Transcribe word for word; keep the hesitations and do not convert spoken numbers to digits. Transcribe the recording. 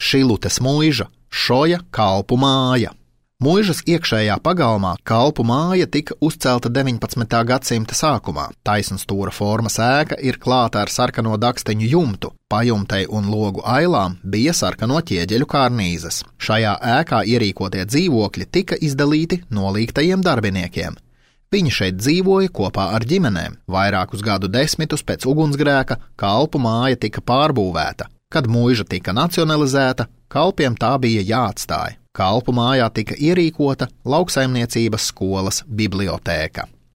Šilutes muiža, Šoja kalpu māja. Muižas iekšējā pagalmā kalpu māja tika uzcelta deviņpadsmitā gadsimta sākumā. Taisnstūra formas ēka ir klāta ar sarkano daksteņu jumtu. Pajumtei un logu ailām bija sarkano ķieģeļu karnīzes. Šajā ēkā ierīkotie dzīvokļi tika izdalīti nolīgtajiem darbiniekiem. Viņi šeit dzīvoja kopā ar ģimenēm. Vairākus gadu desmitus pēc ugunsgrēka kalpu māja tika pārbūvēta. Kad muiža tika nacionalizēta, kalpiem tā bija jāatstāj. Kalpu mājā tika ierīkota lauksaimniecības skolas bibliotēka.